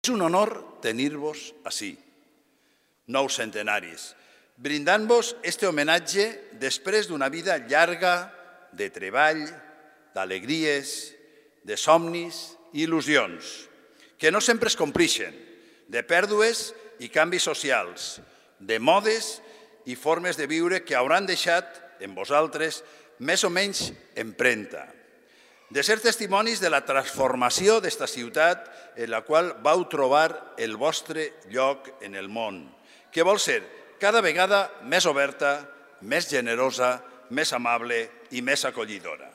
És un honor tenir-vos ací, nous centenaris, brindant-vos este homenatge després d'una vida llarga de treball, d'alegries, de somnis i il·lusions, que no sempre es complixen, de pèrdues i canvis socials, de modes i formes de viure que hauran deixat en vosaltres més o menys empremta, de ser testimonis de la transformació d'esta ciutat en la qual vau trobar el vostre lloc en el món, que vol ser cada vegada més oberta, més generosa, més amable i més acollidora.